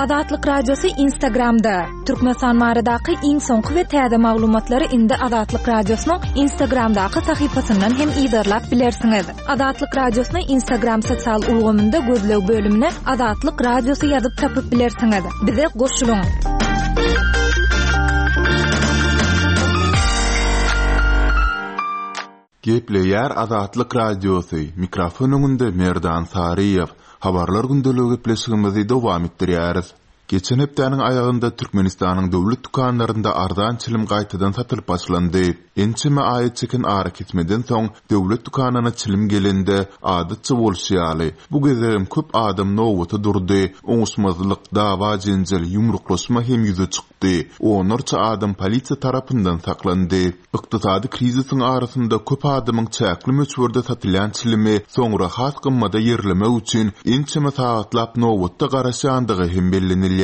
Azatlyk Radiosy Instagramda! Türkmenistan baradaky iň soňky we täze maglumatlary indi Azatlyk Radiosynyň Instagramdaky sahypasyndan hem yzarlap bilersiňiz. Azatlyk Radiosyny Instagram sosial ulgamynda gözleg bölümine Azatlyk Radiosy ýazyp tapyp bilersiňiz. Bize goşulyň! Gepleýär Azatlyk Radiosy, mikrofon öňünde Merdan Saryýew. Habarlar gündeligi gepleşigimizi dowam etdirýäris. Geçen hepdäniň aýagynda Türkmenistanyň döwlet dükanlarynda arzan çilim gaýtadan satylyp başlandy. Ençeme aýa çeken arakesmeden soň döwlet dükanyna çilim gelende, adatça bolşy ýaly, bu gezegem köp adam nobata durdy, oňuşmazlyk, dawa-jenjel, ýumruklaşma hem ýüze çykdy, onlarça adam polisiýa tarapyndan saklandy. Ykdysady krizisiň arasynda köp adamyň çäkli möçberde satylýan çilimi soňra has gymmada ýerlemek üçin ençeme sagatlap nobatda garaşýandygy hem bellenilýär.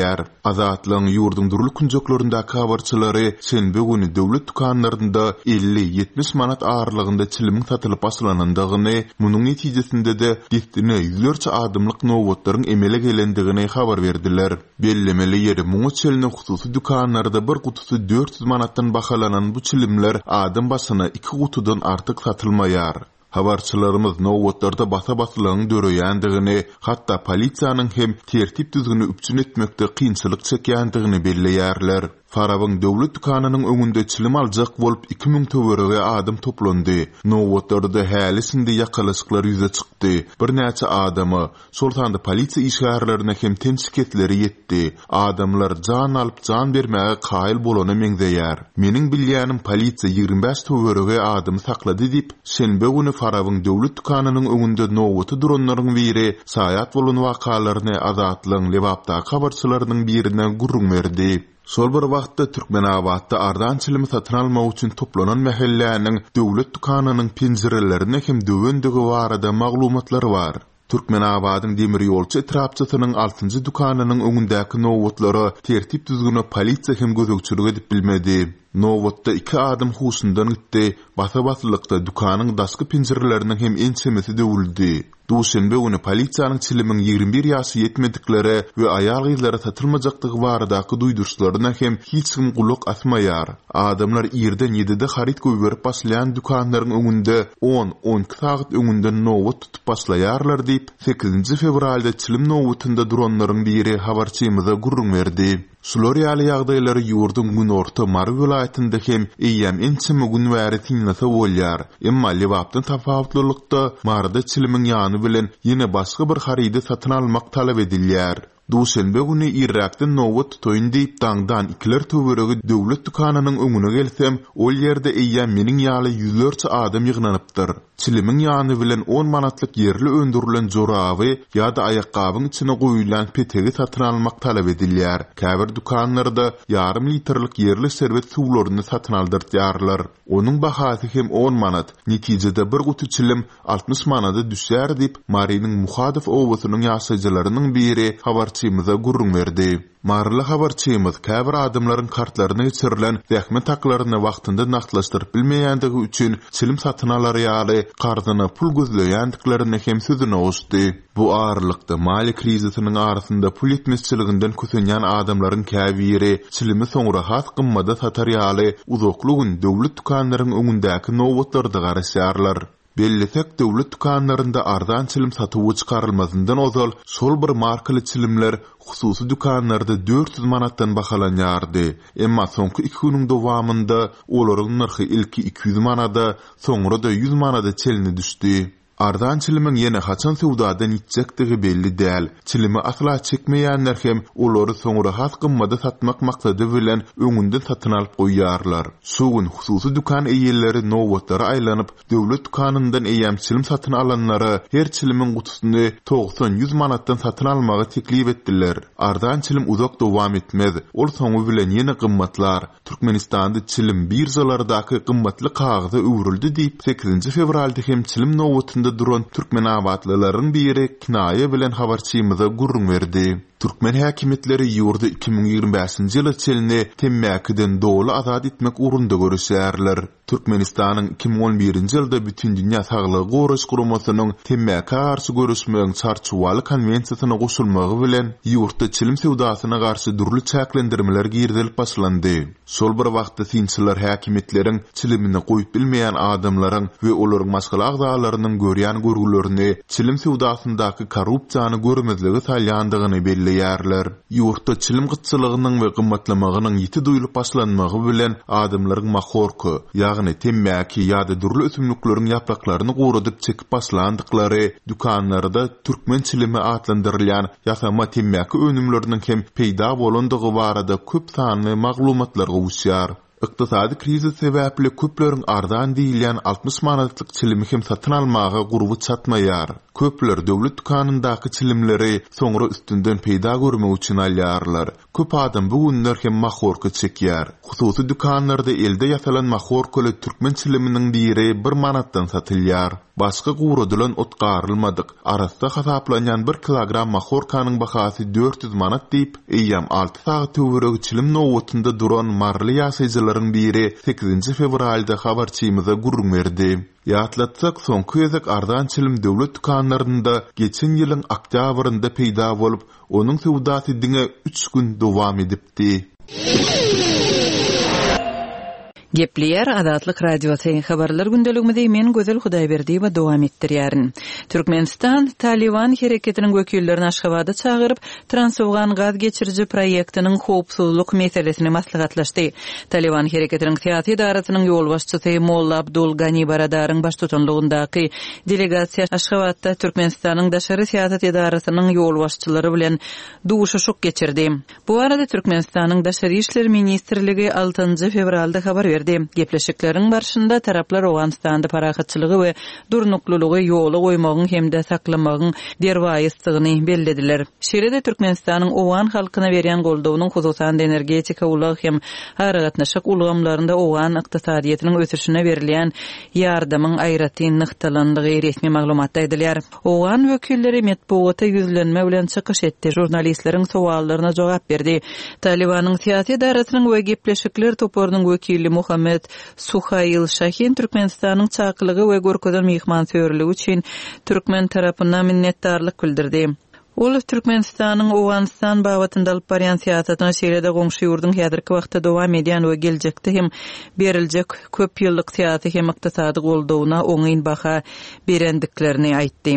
Azatlygyň ýurduň dürli künjeklerindäki habarçylary şenbe güni döwlet dükanlarynda 50, 70 manat aralygynda çilimiň satylyp başlanandygyny, munuň netijesinde-de dessine ýüzlerçe adamlyk nobatlaryň emele gelendigini habar berdiler. Bellemeli ýeri, muňa çenli hususy dükanlarda bir gutusy 400 manatdan bahalanan bu çilimler adam başyna iki gutudan artyk satylmaýar. Habarçylarymyz nobatlarda basa-baslygyň döreýändigini, hatda polisiýanyň hem tertip-düzgüni üpjün etmekde kynçylyk çekýändigini belleýärler. Farabyň döwlet dükanynyň öňünde çilim aljak bolup 2000 töweregi adam toplandy. Nobatlarda häli-şindi ýakalaşyklar ýüze çykdy. Birnäçe adama, Şol sanda polisiýa işgärlerine hem ten şikesleri ýetdi. Adamlar jan alyp jan bermäge kaýyl bolana meňzeýär. Meniň bilýänim polisiýa 25 töweregi adamy saklady diýip, şenbe güni Farabyň döwlet dükanynyň öňünde nobata duranlaryň biri şaýat bolan wakalaryny Azatlygyň Lebapdaky habarçylarynyň birine gürrüň berdi. Şol bir wagtda, Türkmenabatda arzan çilimi satyn almak üçin toplanan mähelläniň döwlet dükanynyň penjirelerini hem döwendigi barada maglumatlar bar. Türkmenabadyň Demirýolçy etrapçasynyň altynjy dükanynyň öňündäki nobatlara tertip-düzgüne polisiýa hem gözegçilik edip bilmedi. Nobatda iki adam huşundan gitdi, basa-baslykda dükanyň daşky penjireleriniň hem ençemesi döwüldi. Duşenbe güni polisiýanyň çilimiň 21 ýaşy ýetmediklere we aýal-gyzlara satylmajakdygy baradaky duýduryşlaryna hem hiç kim gulak asmaýar. Adamlar irden ýedide haryt goýberip başlaýan dükanlaryň öňünde on, on iki sagat öňünden nobat tutup başlaýarlar diýip, sekizinji fewralda çilim nobatynda duranlaryň biri habarçymyza gürrüň berdi. Şular ýaly ýagdaýlary ýurduň günorta Mary welaýatynda hem eýýäm ençeme gün bäri synlasa bolýar. Emma Lebapdan tapawutlylykda, Maryda çilimiň ýany bilen ýene başga bir harydy satyn almak talap edilýär. Duşenbe güni irräkden nobat tutaýyn diýip daňdan ikiler töweregi döwlet dükanynyň öňüne gelsem, ol ýerde eýýäm meniň ýaly ýüzlerçe adam ýygnanypdyr. Çilimiň ýany bilen on manatlyk ýerli öndürilen joraby ýa-da aýakgabyň içine goýulýan petegi satyn almak talap edilýär. Käbir dükanlarda ýarym litrlik ýerli şerbet suwlaryny satyn aldyrtýarlar. Onuň bahasy hem on manat. Netijede bir guty çilim 60 manada düşýär diýip, Marynyň Muhadow obasynyň ýaşaýjylarynyň biri habarçymyza gürrüň berdi. Maryly habarçymyz käbir adamlaryň kartlaryna geçirilen zähmet haklaryny wagtynda nagtlaşdyryp bilmeýändigi üçin çilim satyn alar ýaly karzyna pul gözleýändiklerini hem sözüne goşdy. Bu aralykda, maliýe krizisiniň arasynda pul ýetmezçiliginden kösenýän adamlaryň käbiri çilimi soňra has gymmada satar ýaly uzakly gün döwlet dükanlaryň öňündäki nobatlarda garaşýarlar. Bellesek, döwlet dükanlarynda arzan çilim satuwa çykarylmazyndan ozal şol bir markaly çilimler hususy dükanlarda 400 manatdan bahalanýardy. Emma soňky iki günüň dowamynda olaryň nyrhy ilki 200 manada, soňra-da 100 manada çenli düşdi. Arzan çilimiň ýene haçan söwdadan ýitjekdigi belli däl. Çilimi asla çekmeýänler hem olary soňra has gymmada satmak maksady bilen öňünden satyn alyp goýýarlar. Şu gün hususy dükan eýeleri nobatlara aýlanyp, döwlet dükanyndan eýýäm çilim satyn alanlara her çilimiň gutusyny togsan-ýüz manatdan satyn almagy teklip etdiler. Arzan çilim uzak dowam etmez, ol soňy bilen ýene gymmatlar. Türkmenistanda çilim biržalardaky gymmatly kagyza öwrüldi diýip, sekizinji fewralda hem çilim nobatynda duran türkmenabatlylaryň biri kinaýa bilen habarçymyza gürrüň berdi. Türkmen häkimiýetleri ýurdy 2025-nji ýyla çenli temmäkiden doly azat etmek ugrunda göreşýärler. Türkmenistanyň 2011-nji ýylda Bütindünýä Saglygy Goraýyş Guramasynyň temmäkä garşy göreşmegiň Çarçuwaly konwensiýasyna goşulmagy bilen, ýurtda çilim söwdasyna garşy dürli çäklendirmeler girizilip başlandy. Şol bir wagtda synçylar häkimiýetleriň çilimini goýup bilmeýän adamlaryň we olaryň maşgala agzalarynyň görýän görgülerini çilim söwdasyndaky korrupsiýany görmezlige salýandygyny belleýärler. Ýurtda çilim gytçylygynyň we gymmatlamagynyň ýiti duýlup başlanmagy bilen adamlaryň mahorka, ýagny temmäki ýa-da dürli ösümlikleriň ýapraklaryny guradyp çekip başlandyklary, dükanlarda türkmen çilimi atlandyrylýan ýasama temmäki önümleriniň hem peýda bolandygy barada köp sanly maglumatlar gowuşýar. Ykdysady krizis sebäpli köpleriň arzan diýilýän 60 manatlyk çilimi hem satyn almaga gurby çatmaýar. Köpler döwlet dükanyndaky çilimleri soňra üstünden peýda görmek üçin alýarlar. Köp adam bu günler hem mahorka çekýär. Hususy dükanlarda elde ýasalan mahorkaly türkmen çiliminiň biri bir manatdan satylýar. Başga guradylan ot garylmadyk, arassa hasaplanýan bir kilogram mahorkanyň bahasy 400 manat diýip, eýýäm alty sagat töweregi çilim nobatynda duran maryly ýaşaýjylaryň biri sekizinji fewralda habarçymyza gürrüň berdi. Ýatlatsak, soňky gezek arzan çilim döwlet dükanlarynda geçen ýylyň oktýabrynda peýda bolup, Onuň söwdasy diňe üç gün dowam edipdi. Gepleýär Azatlyk Radiosy, Habarlar gündeligimizi men Gözel Hudaýberdiýewa dowam etdirýärin. Türkmenistan Talyban hereketiniň wekillerini Aşgabada çagyryp, Transowgan gaz geçiriji proýektiniň howpsuzlyk meselesini maslahatlaşdy. Talyban hereketiniň syýasy edarasynyň ýolbaşçysy Molla Abdul Gani Baradaryň baştutanlygyndaky Delegasiýa Aşgabatda Türkmenistanyň daşary syýasat edarasynyň ýolbaşçylary bilen duşuşyk geçirdi. Bu barada Türkmenistanyň Daşary işler ministrligi altynjy fewralda habar berdi. Gepleşikleriň barşynda taraplar Owganystanda parahatçylygy we durnuklylygy ýola goýmagyň hem-de saklamagyň derwaýysdygyny bellediler. Şeýle-de Türkmenistanyň owgan halkyna berýän goldawynyň, hususan-da, energetika, ulag hem aragatnaşyk ulgamlarynda owgan ykdysadyýetiniň ösüşine berilýän ýardamyň aýratyn nygtalandygy resmi maglumatda aýdylýar. Owgan wekilleri metbugata ýüzlenme bilen çykyş etdi, žurnalistleriň sowallaryna jogap berdi. Talybanyň syýasy edarasynyň we gepleşikler toparynyň wekili Muhammet Suhail Şahin Türkmenistanyň çakylygy we görkezen myhmansöýerligi üçin türkmen tarapyna minnetdarlyk bildirdi. Ol Türkmenistanyň Owganystan babatynda alyp barýan syýasatyna, şeýle-de goňşy ýurduň häzirki wagtda dowam edýän we geljekde hem beriljek köp ýyllyk syýasy hem ykdysady goldawyna oňyn baha berendiklerini aýtdy.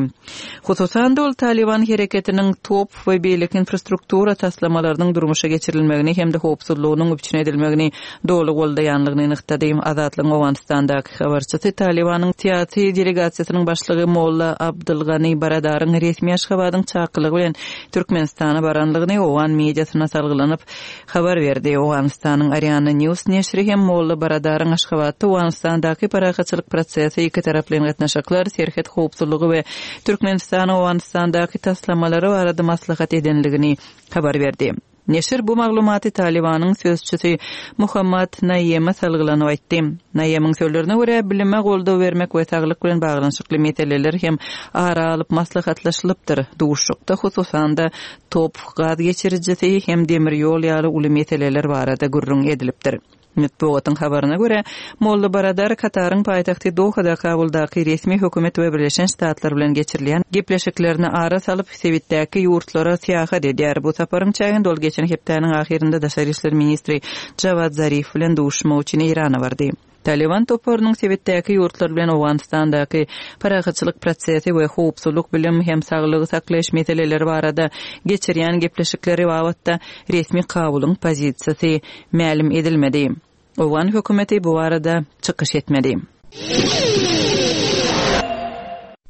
Hususan-da, ol Talyban hereketiniň top we beýleki infrastruktura taslamalarynyň durmuşa geçirilmegini hem-de howpsuzlygynyň üpjün edilmegini doly goldaýanlygyny nygtady. Azatlygyň Owganystandaky habarçysy Talybanyň syýasy delegasiýasynyň başlygy Molla Abdylgany Baradaryň resmi Aşgabadyň çakylygy bilen Türkmenistana baranlygyny owgan mediasyna salgylanyp habar berdi. Owganystanyň Ariana News neşiri hem Molla Baradaryň Aşgabatda Owganystandaky parahatçylyk prosesi, ikitaraplaýyn gatnaşyklar, serhet howpsuzlygy we Türkmenistanyň Owganystandaky taslamalary barada maslahat edenligini habar berdi. Neşir bu maglumaty Talybanyň sözçüsi Muhammad Naýeme salgylanyp aýtdy. Naýemiň sözlerine görä, bilime goldaw bermek we saglyk bilen baglanyşykly meseleler hem ara alyp maslahatlaşylypdyr. Duşuşykda, hususan-da, top, gaz geçirijisi hem demir ýol ýaly uly meseleler barada gürrüň edilipdir. Metbugatyň habaryna görä, Molla Baradar Kataryň paýtagty Dohada Kabuldaky resmi hökümet we Birleşen Ştatlar bilen geçirilýän gepleşiklerine ara salyp, sebitdäki ýurtlara syýahat edýär. Bu saparyň çäginde ol geçen hepdäniň ahyrynda daşary işler ministri Jawad Zarif bilen duşuşmak üçin Eýrana bardy. Talyban toparynyň sebitdäki ýurtlar bilen Owganystandaky parahatçylyk prosesi we howpsuzlyk, bilim hem saglygy saklaýyş meseleleri barada geçirýän gepleşikleri babatda resmi Kabulyň pozisiýasy mälim edilmedi. Owgan hökümeti bu barada çykyş etmedi.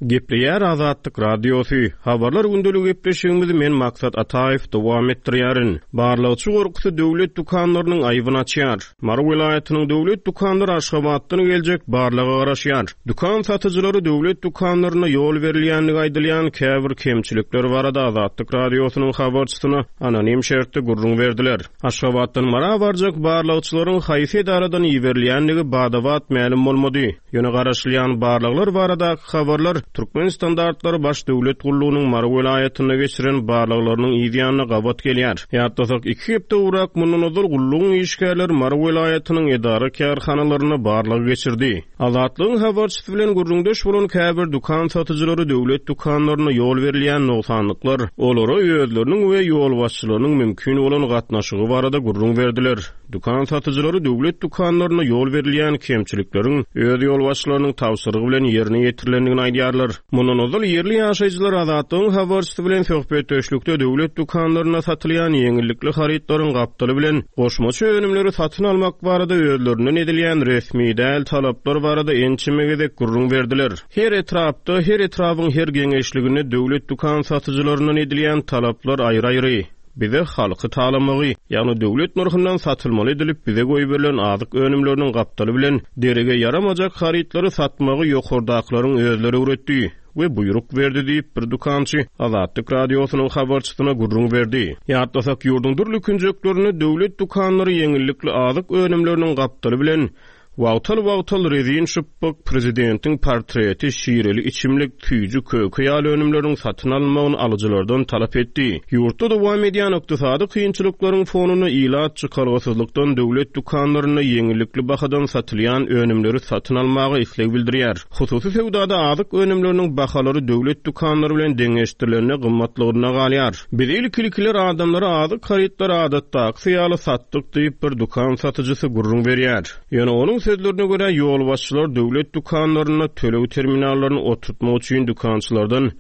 Gepleýär Azatlyk Radiosy, Habarlar gündeligi gepleşigimizi men Maksat Ataýew dowam etdirýärin. Barlagçy gorkusy döwlet dükanlarynyň aýbyny açýar. Mary welaýatynyň döwlet dükanlary Aşgabatdan geljek barlaga garaşýar. Dükan satyjylary döwlet dükanlarynda ýol berilýändigi aýdylýan käbir kemçilikler barada Azatlyk Radiosynyň habarçysyna anonim şertde gürrüň berdiler. Aşgabatdan Mara barjak barlagçylaryň haýsy edaradan iberilýändigi bada-bat mälim bolmady. Ýöne garaşylýan barlaglar baradaky habarlar. Türkmen standartlary baş döwlet gullugynyň Mary welaýatynda geçiren barlaglarynyň yz ýanyna gabat gelýär. Ýatlasak, iki hepde gowrak mundan ozal gullugyň işgärleri Mary welaýatynyň edara-kärhanalarynda barlag geçirdi. Azatlygyň habarçysy bilen gürrüňdeş bolan käbir dükan satyjylary döwlet dükanlarynda ýol berilýän nogsanlyklar, olara özleriniň we ýolbaşçylarynyň mümkin bolan gatnaşygy barada gürrüň berdiler. Dükan satyjylary döwlet dükanlarynda ýol berilýän kemçilikleriň öz ýolbaşçylarynyň tabşyrygy bilen ýerine ýetirilendigini aýdýarlar. Mundan ozal ýerli ýaşaýjylar Azatlygyň habarçysy bilen söhbetdeşlikde döwlet dükanlarynda satylýan ýeňillikli harytlaryň gapdaly bilen goşmaça önümleri satyn almak barada özlerinden edilýän resmi däl talaplar barada ençeme gezek gürrüň berdiler. Her etrapda, her etrabyň her geňeşliginde döwlet dükan satyjylaryndan edilýän talaplar aýry-aýry. Bize halky talamagy, ýagny döwlet nyrhyndan satylmaly edilip bize goýberilen azyk önümleriniň gapdaly bilen derege ýaramajak harytlary satmagy ýokardakylaryň özleri öwretdi we buýruk berdi diýip, bir dükançy Azatlyk Radiosynyň habarçysyna gürrüň berdi. Ýatlasak, ýurduň dürli künjeklerinde döwlet dükanlary ýeňillikli azyk önümleriniň gapdaly bilen Wagtal-wagtal rezin şypbyk, prezidentiň portreti, şireli içimlik, süýji köke ýaly önümleriň satyn alynmagyny alyjylardan talap etdi. Ýurtda dowam edýän ykdysady kynçylyklaryň fonunda ilat çykalgasyzlykdan döwlet dükanlarynda ýeňillikli bahadan satylýan önümleri satyn almaga isleg bildirýär. Hususy söwdada azyk önümleriniň bahalary döwlet dükanlary bilen deňeşdirilende gymmatlygyna galýar. Biz ilki-ilkiler adamlara azyk harytlary adatdakysy ýaly satdyk diýip, bir dükan satyjysy gürrüň berýär. Ýöne onuň sözlerine görä, ýolbaşçylar döwlet dükanlarynda töleg terminallaryny oturtmak üçin dükançylardan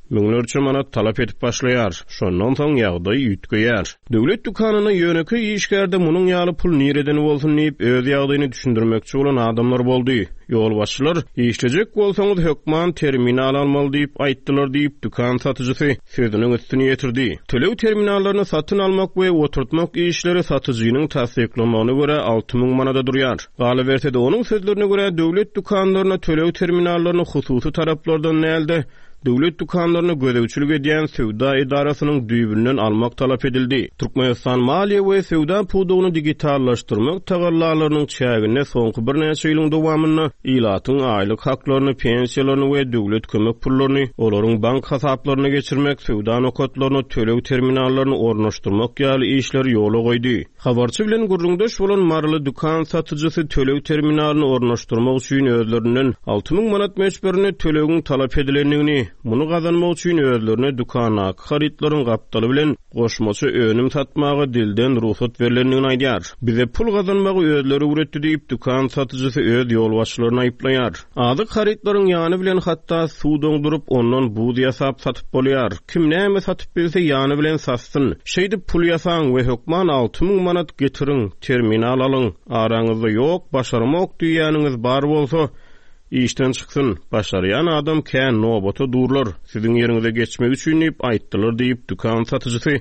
müňlerçe manat talap edip başlaýar. Şondan soň ýagdaý üýtgeýär. Döwlet dükanynda ýönekeý işgärde munuň ýaly pul nireden bolsun diýip, öz ýagdaýyny düşündirmekçi bolan adamlar boldy. Ýolbaşçylar, Işlejek bolsaňyz, hökman terminal almaly diýip aýtdylar diýip, dükan satyjysy sözüniň üstüni ýetirdi. Töleg terminallaryny satyn almak we oturtmak işleri satyjynyň tassyklamagyna görä 6000 manada durýar. Galyberse-de, onuň sözlerine görä, döwlet dükanlaryna töleg terminallaryny hususy taraplardan däl-de, döwlet dükanlaryna gözegçilik edýän söwda edarasynyň düýbünden almak talap edildi. Türkmenistan maliýe we söwda pudagyny digitallaşdyrmak tagallalarynyň çäginde soňky birnäçe ýylyň dowamynda ilatyň aýlyk haklaryny, pensiýalaryny we döwlet kömek pullaryny olaryň bank hasaplaryna geçirmek, söwda nokatlaryna töleg terminallaryny ornaşdyrmak ýaly işleri ýola goýdy. Habarçy bilen gürrüňdeş bolan maryly dükan satyjysy töleg terminalyny ornaşdyrmak üçin özlerinden 6000 manat möçberinde tölegiň talap edilendigini, muny gazanmak üçin özlerine dükandaky harytlaryň gapdaly bilen goşmaça önüm satmaga dilden rugsat berlendigini aýdýar. Bize pul gazanmagy özleri öwretdi diýip, dükan satyjysy öz ýolbaşçylaryny aýyplaýar. Azyk harytlaryň ýany bilen hatda suw doňduryp, ondan buz ýasap satyp bolýar. Kim näme satyp bilse ýany bilen satsyn. Şeýdip pul ýasaň we hökman 6000 manat getiriň, terminal alyň. Araňyzda ýok, başaramok diýýäniňiz bar bolsa, işden çyksyn. Başarýan adam kän, nobata durlar, siziň ýeriňize geçmek üçin diýip aýtdylar diýip, dükan satyjysy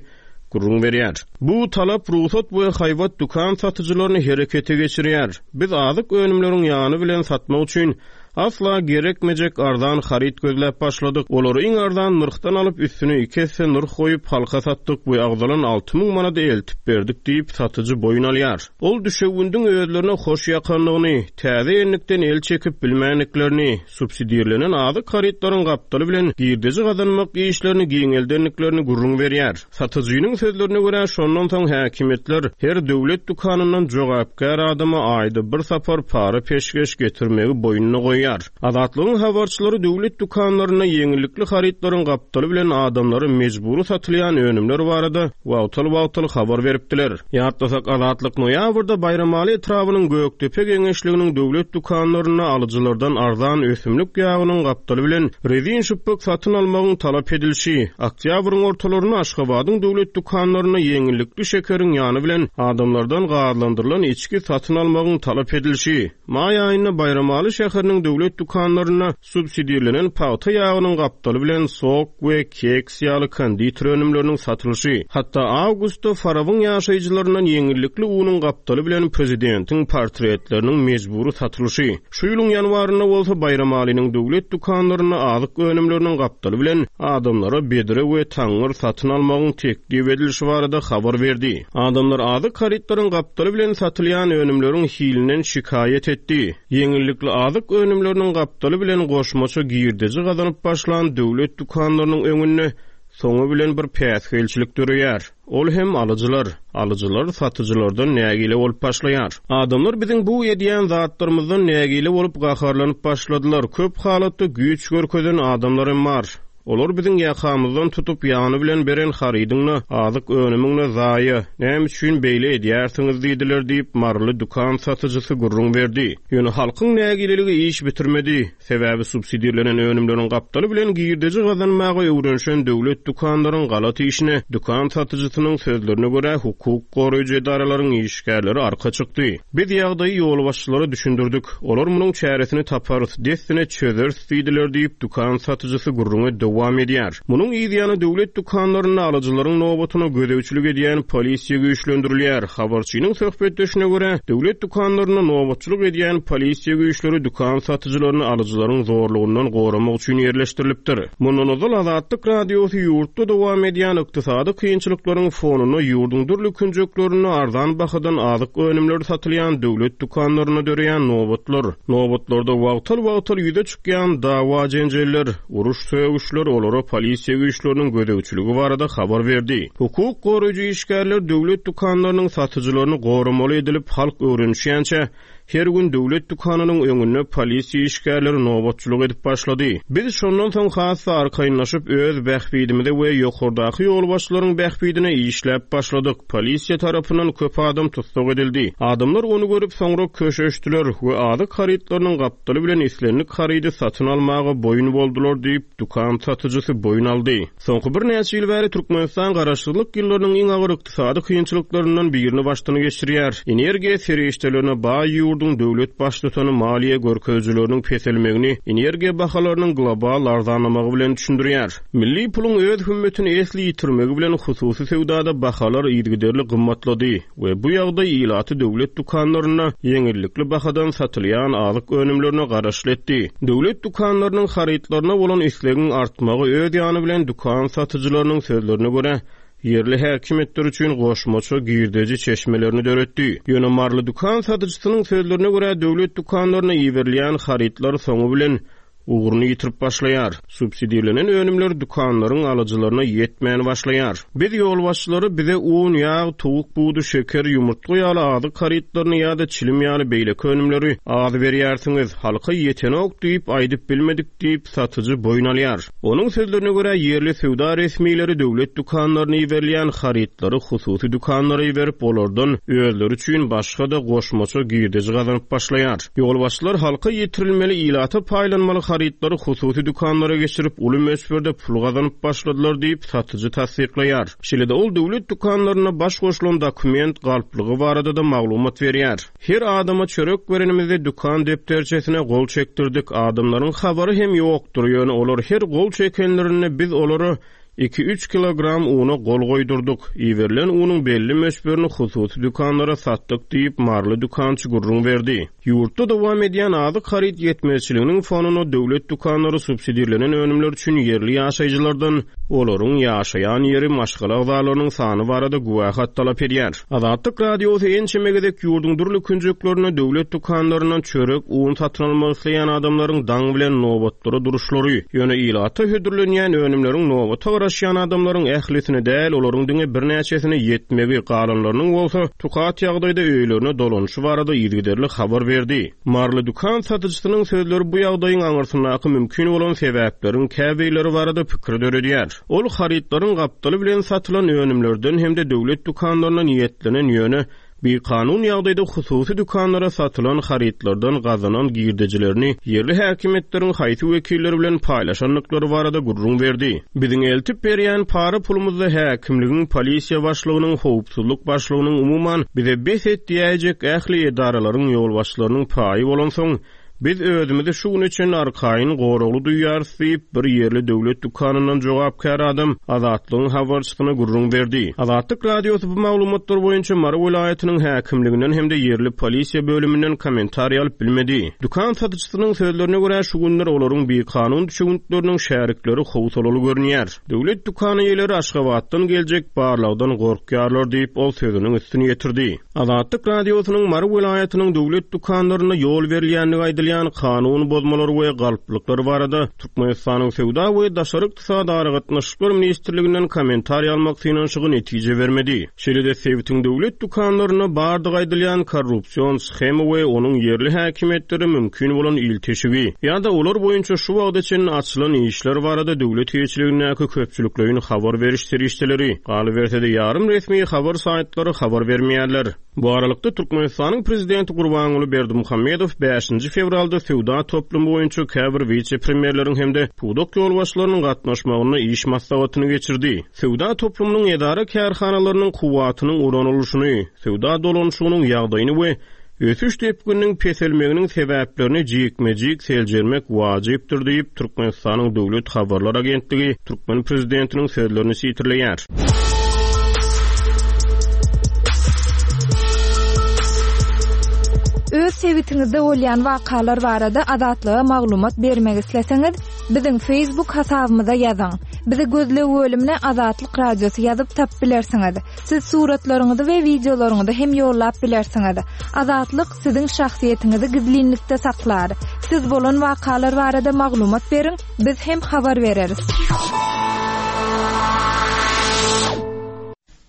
gürrüň berýär. Bu talap rugsat we haýbat dükan satyjylaryny herekete geçirýär. Biz azyk önümleriň ýany bilen satmak üçin asla gerekmejek arzan haryt gözläp başladyk. Olary iň arzan nyrhdan alyp, üstüne iki esse nyrh goýup, halka satdyk we agzalan 6000 manady eltip berdik diýip, satyjy boýun alýar. Ol düşewündiň özlerine hoş ýakandygyny, täze enlikden el çekip bilmändiklerini, subsidirlenen azyk harytlaryň gapdaly bilen girdeji gazanmak işlerini giňeldendiklerini gürrüň berýär. Satyjynyň sözlerine görä, şondan soň häkimiýetler her döwlet dükanyndan jogapkär adama aýda bir sapar para-peşgeş getirmegi boýnuna goýýar. Azatlygyň habarçylary döwlet dükanlarynda ýeňillikli harytlaryň gapdaly bilen adamlara mejbury satylýan önümler barada wagtal-wagtal habar beripdiler. Ýatlasak, Azatlyk noýabrda Baýramaly etrabynyň Gökdepe geňeşliginiň döwlet dükanlarynda alyjylardan arzan ösümlik ýagynyň gapdaly bilen rezin şypbyk satyn almagyň talap edilişi, oktýabryň ortalarynda Aşgabadyň döwlet dükanlarynda ýeňillikli şekeriň ýany bilen adamlardan gazlandyrylan içgi satyn almagyň talap edilişi, Maý aýynda Baýramaly şäheriniň döwlet dükanlarynda subsidirlenen pagta ýagynyň gapdaly bilen sok we keks ýaly konditer önümleriniň satylyşy, hatda awgustda Farabyň ýaşaýjylaryndan ýeňillikli unuň gapdaly bilen prezidentiň portretleriniň mejbury satylyşy, şu ýylyň ýanwarynda bolsa Baýramalynyň döwlet dükanlarynda azyk önümleriniň gapdaly bilen adamlara bedre we taňňyr satyn almagyň teklip edilişi barada habar berdi. Adamlar azyk harytlaryň gapdaly bilen satylýan önümleriň hilinden şikaýat etdi. Ýeňillikli azyk önümleri. önümleriniň gapdaly bilen goşmaça girdeji gazanyp başlan döwlet dükanlarynyň öňünde soňy bilen bir päsgelçilik döreýär. Ol hem alyjylar. Alyjylar satyjylardan nägile bolup başlaýar. Adamlar biziň bu edýän zatlarymyzdan nägile bolup gaharlanyp başladylar. Köp halatda güýç görkezen adamlar hem bar. Olar biziň ýakamyzdan tutup ýany bilen beren harydyň-da, azyk önümiň-de zaýa, näme üçin beýle edýärsiňiz diýdiler diýip, maryly dükan satyjysy gürrüň berdi. Ýöne halkyň nägileligi iş bitirmedi. Sebäbi subsidirlenen önümleriň gapdaly bilen girdeji gazanmaga öwrenişen döwlet dükanlaryň galat işine, dükan satyjysynyň sözlerine görä, hukuk goraýjy edaralaryň işgärleri arka çykdy. Biz ýagdaýy ýolbaşçylara düşündirdik. Olar munuň çäresini taparys, dessine çözeris diýdiler diýip, dükan satyjysy gürrüňe dowam edýär. Munuň yz ýany döwlet dükanlarynda alyjylaryň nobatyna gözegçilik edýän polisiýa güýçlendirilýär. Habarçynyň söhbetdeşine görä, döwlet dükanlarynda nobatçylyk edýän polisiýa güýçleri dükan satyjylaryny alyjylaryň zorlugyndan goramak üçin ýerleşdirilipdir. Mundan ozal Azatlyk Radiosy ýurtda dowam edýän ykdysady kynçylyklaryň fonunda ýurduň dürli künjeklerinde arzan bahadan azyk önümleri satylýan döwlet dükanlarynda döreýän nobatlar, nobatlarda wagtal-wagtal ýüze çykýan dawa-jenjeller, uruş-sögüşler olara polisiýa güýçleriniň gözegçiligi barada habar berdi. Hukuk goraýjy işgärler döwlet dükanlarynyň satyjylaryny goramaly edilip, halk öwrenişýänçä, Her gün döwlet dükanynyň öňünde polisiýa işgärleri nobatçylyk edip başlady. Biz şondan soň has-da arkaýynlaşyp, öz bähbidimize we ýokardaky ýolbaşçylaryň bähbidine işläp başladyk. Polisiýa tarapyndan köp adam tussag edildi. Adamlar ony görüp, soňra köşeşdiler we azyk harytlarynyň gapdaly bilen islendik harydy satyn almaga boýun boldular diýip, dükan satyjysy boýun aldy. Soňky birnäçe ýyl bäri Türkmenistan garaşsyzlyk ýyllarynyň iň agyr ykdysady kynçylyklaryndan birini başdan geçirýär. Energiýa serişdelerine baý ýurduň döwlet baştutany maliýe görkezijileriniň peselmegini energiýa bahalarynyň global arzanlamagy bilen düşündirýär. Milli puluň öz hümmetini esli ýitirmegi bilen hususy söwdada bahalar yzygiderli gymmatlady. We bu ýagdaý ilaty döwlet dükanlarynda ýeňillikli bahadan satylýan azyk önümlerine garaşly etdi. Döwlet dükanlarynyň harytlaryna bolan islegiň artmagy öz ýany bilen dükan satyjylarynyň sözlerine görä, ýerli häkimiýetler üçin goşmaça girdeji çeşmelerini döretdi. Ýöne maryly dükan satyjysynyň sözlerine görä, döwlet dükanlaryna iberilýän harytlar soňy bilen ugruny ýitirip başlaýar. Subsidirlenen önümler dükanlaryň alyjylaryna ýetmän başlaýar. Biz ýolbaşçylary bize un, ýag, towuk budy, şeker, ýumurtga ýaly azyk harytlaryny ýa-da çilim ýaly beýleki önümleri az berýärsiňiz, halka ýetenok diýip aýdyp bilmedik diýip, satyjy boýun alýar. Onuň sözlerine görä, ýerli söwda resmileri döwlet dükanlaryna iberilýän harytlary hususy dükanlara iberip, olardan özleri üçin başga-da goşmaça girdeji gazanyp başlaýar. Ýolbaşçylar halka ýetirilmeli, ilata paýlanmaly harytlary hususy dükanlara geçirip, uly möçberde pul gazanyp başladylar diýip, satyjy tassyklaýar. Şeýle-de ol döwlet dükanlarynda baş goşulan dokument galplygy barada-da maglumat berýär. Her adama çörek berenimizde dükan depderçesine gol çekdirdik, adamlaryň habary hem ýokdur, ýöne olar her gol çekenlerinde biz olara iki-üç kilogram una gol goýdurdyk, iberilen unuň belli möçberini hususy dükanlara satdyk diýip, maryly dükançy gürrüň berdi. Ýurtda dowam edýän azyk haryt ýetmezçiliginiň fonunda döwlet dükanlary subsidirlenen önümler üçin ýerli ýaşaýjylardan olaryň ýaşaýan ýeri, maşgala agzalarynyň sany barada güwähat talap edýär. Azatlyk Radiosy ençeme gezek ýurduň dürli künjeklerinde döwlet dükanlaryndan çörek, un satyn almak isleýän adamlaryň daň bilen nobatlara duruşlary, ýöne ilata hödürlenýän önümleriň nobata garaşýan adamlaryň ählisine däl, olaryň diňe birnäçesine ýetmegi, galanlarynyň bolsa tukat ýagdaýda öýlerine dolanyşy barada yzygiderli habar berdi. Maryly dükan satyjysynyň sözleri bu ýagdaýyň aňyrsyndaky mümkin bolan sebäpleriň käbirleri barada pikir döredýär. Ol harytlaryň gapdaly bilen satylan önümlerden hem-de döwlet dükanlaryna niýetlenen ýöne bikanun ýagdaýda hususy dükanlara satylan harytlardan gazanan girdejilerini ýerli häkimiýetleriň haýsy wekilleri bilen paýlaşandyklary barada gürrüň berdi. Biziň eltip berýän para pulumyzda häkimligiň, polisiýa başlygynyň, howpsuzlyk başlygynyň, umuman, bize bes et diýäýjek ähli edaralaryň ýolbaşçylarynyň paýy bolansoň, Biz özümizi şu güne çenli arkaýyn, goragly duýýarys diýip, bir ýerli döwlet dükanyndan jogapkär adam Azatlygyň habarçysyna gürrüň berdi. Azatlyk Radiosy bu maglumatlar boýunça Mary welaýatynyň häkimliginden hem-de ýerli polisiýa bölüminden kommentariý alyp bilmedi. Dükan satyjysynyň sözlerine görä, şu günler olaryň bikanun düşewüntleriniň şärikleri howsalaly görünýär. Döwlet dükan eýeleri Aşgabatdan geljek barlagdan gorkýarlar diýip, ol sözüniň üstüni ýetirdi. Azatlyk Radiosynyň Mary welaýatynyň döwlet dükanlarynda ýol berilýändigi aýdylýan. aýdylýan kanun bozmalar we galplyklar barada Türkmenistanyň Söwda we daşary ykdysady aragatnaşyklar ministrliginden kommentariý almak synanyşygy netije bermedi. Şeýle-de sebitiň döwlet dükanlarynda bardygy aýdylýan korrupsion shema we onuň ýerli häkimiýetlere mümkin bolan ilteşigi ýa-da olar boýunça şu wagta çenli açylan işler barada döwlet eýeçiligindäki köpçülikleýin habar beriş serişdeleri, galyberse-de ýarym resmi habar saýtlary habar bermeýärler. Bu aralykda, Türkmenistanyň prezidenti Gurbanguly Berdimuhamedow bäşinji fewralda söwda toplumy boýunça käbir wise-premýerleriň hem-de pudak ýolbaşçylarynyň gatnaşmagynda iş maslahatyny geçirdi. Söwda toplumynyň edara-kärhanalarynyň kuwwatynyň ulanylyşyny, söwda dolanyşygynyň ýagdaýyny we ösüş depgininiň peselmeginiň sebäplerini jikme-jik seljermek wajypdyr diýip, Türkmenistanyň döwlet habarlar agentligi türkmen prezidentiniň sözlerini sitirleýär. Öz sebitiňizde bolýan wakalar barada Azatlyga maglumat bermek isleseňiz, biziň Facebook hasabymyza ýazyň. Bizi gözleg bölümine Azatlyk Radiosy ýazyp tapyp bilersiňiz. Siz suratlaryňyzy we wideolaryňyzy hem ýollap bilersiňiz. Azatlyk siziň şahsyýetiňizi gizlinlikde saklar. Siz bolan wakalar barada maglumat beriň, biz hem habar bereris.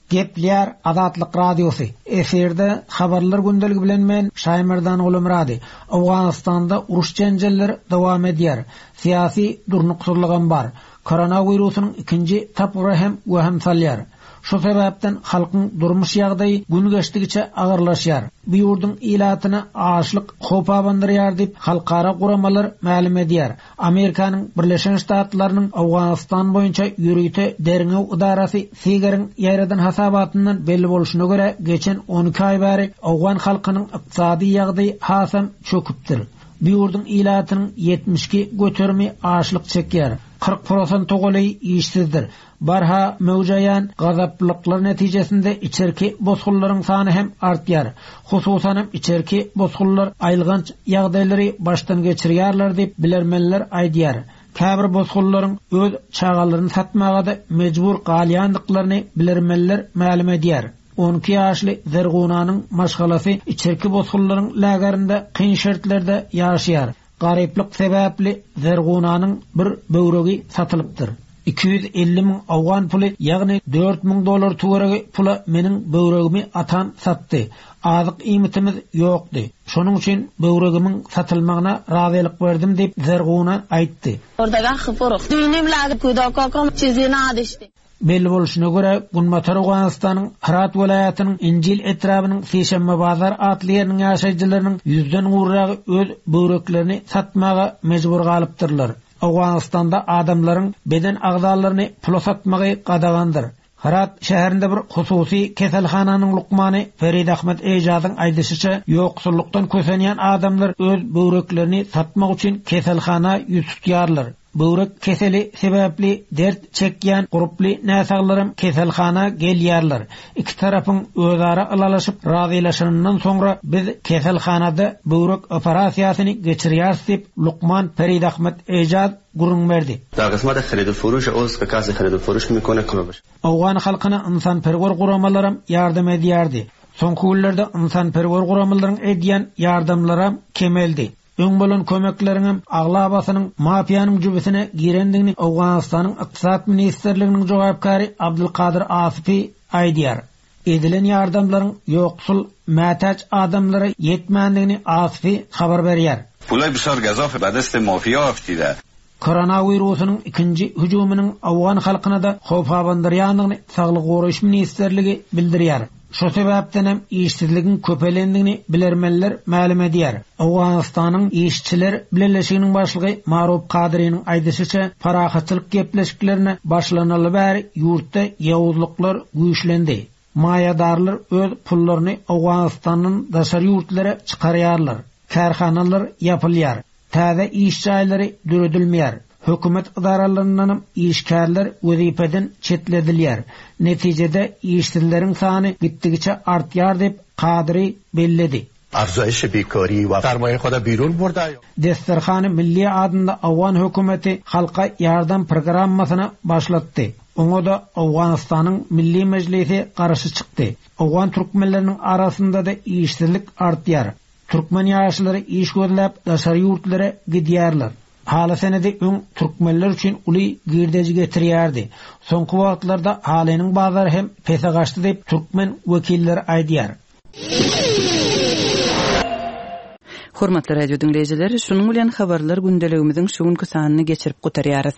Gepleýär Azatlyk Radiosy, Efirde Habarlar gündeligi bilen men Şaýmerdan Gulumyrady. Owganystanda uruş-jenjeller dowam edýär. Syýasy durnuksyzlygam bar. Koronawirusynyň ikinji tapgyry hem wehim salýar. Şu sebäpden halkyň durmuş ýagdaýy gün geçdigiçe agyrlaşýar. Bu ýurduň ilatyna açlyk howp abandyrýar diýip, halkara guramalar mälim edýär. Amerikanyň Birleşen Ştatlarynyň Owganystan boýunça ýörite derňew ydarasy SIGAR-yň ýaýradan hasabatyndan belli bolşuna görä, geçen 12 aý bäri owgan halkynyň ykdysady ýagdaýy hasam çöküpdir. Bu ýurduň ilatynyň 72 göterimi açlyk çekýär, 40 prosente golaýy işsizdir. Barha möwjeýän gazaplyklar netijesinde içerki bosgunlaryň sany hem artýar. Hususan hem içerki bosgunlar aýylganç ýagdaýlary başdan geçirýärler diýip, bilermenler aýdýar. Käbir bosgunlaryň öz çagalaryny satmaga-da mejbur galýandyklaryny bilermenler mälim edýär. 12 ýaşly Zergunanyň maşgalasy içerki bosgunlaryň lagerinde kyn şertlerde ýaşaýar. Garyplyk sebäpli Zergunanyň bir böwregi satylypdyr. 250 müň owgan puly, ýagny 4000 dollar töweregi pula meniň böwregimi atam satdy. Azyk iýmitimiz ýokdy. Şonuň üçin böwregimiň satylmagyna razylyk berdim diýip, Zerguna aýtdy. Belli bolşuna görä, Günbatar Owganystanyň Hyrat welaýatynyň Injil etrabynyň Sişenbebazar atly ýeriniň ýaşaýjylarynyň ýüzden gowragy öz böwreklerini satmaga mejbur galypdyrlar. Owganystanda adamlaryň beden agzalaryny pula satmagy gadagandyr. Hyrat şäherinde bir hususy keselhananyň lukmany Ferid Ahmed Ejazyň aýdyşyça, ýoksullykdan kösenýän adamlar öz böwreklerini satmak üçin keselhana ýüz tutýarlar. Böwrek keseli sebäpli dert çekýän gurply näsaglaram keselhana gelýärler. Iki tarapyň özara ylalaşyp razylaşanyndan soňra biz keselhanada böwrek operasiýasyny geçirýäris diýip, lukman Perid Ahmed Ejaz gürrüň berdi. Owgan halkyna ynsanperwer guramalaram ýardam edýärdi. Soňky günlerde ynsanperwer guramalaryň edýän ýardamlaram kemeldi. Öň bolan kömekleriňem aglabasynyň mafiýanyň jübüsine girendigini Owganystanyň Ykdysat ministrliginiň jogapkäri Abdulkadyr Asyfi aýdýar. Edilen ýardamlaryň ýoksul, mätäç adamlara ýetmändigini Asyfi habar berýär. Pulay bisar gazaf be dest mafiya aftide. Koronawirusynyň ikinji hüjüminiň owgan halkyna-da howp abandyrýandygyny Saglygy goraýyş ministrligi bildirýär. Şo sebäpdenem işsizligiň köpelendigini bilermenler mälim edýär. Owganystanyň Işçiler bileleşiginiň başlygy Marup Kadyrynyň aýdyşyça, parahatçylyk gepleşiklerine başlanaly bäri ýurtda ýowuzlyklar güýçlendi. Maýadarlar öz pullaryny Owganystandan daşary ýurtlara çykarýarlar. Kärhanalar ýapylýar. Täze iş jaýlary döredilmeýär. Hökümet edaralaryndanam işgärler wezipeden çetledilýär. Netijede işsizleriň sany gitdigiçe artýar diýip, Kadyry belledi. Desterhany Milli adynda owgan hökümeti halka ýardam programmasyny başlatdy. Oňa-da Owganystanyň Milli Mejlisi garşy çykdy. Owgan türkmenleriniň arasynda-da işsizlik artýar. Türkmen ýaşlary iş gözläp daşary ýurtlara gidýärler. Haly senedi öň türkmenler üçin uly girdeji getirýärdi. Soňky wagtlarda halynyň bazary hem pese gaçdy diýip, türkmen wekilleri aýdýar. Hormatly radio diňleýjiler, şunuň bilen Habarlar gündeligimiziň şu günki sanyny geçirip gutarýarys.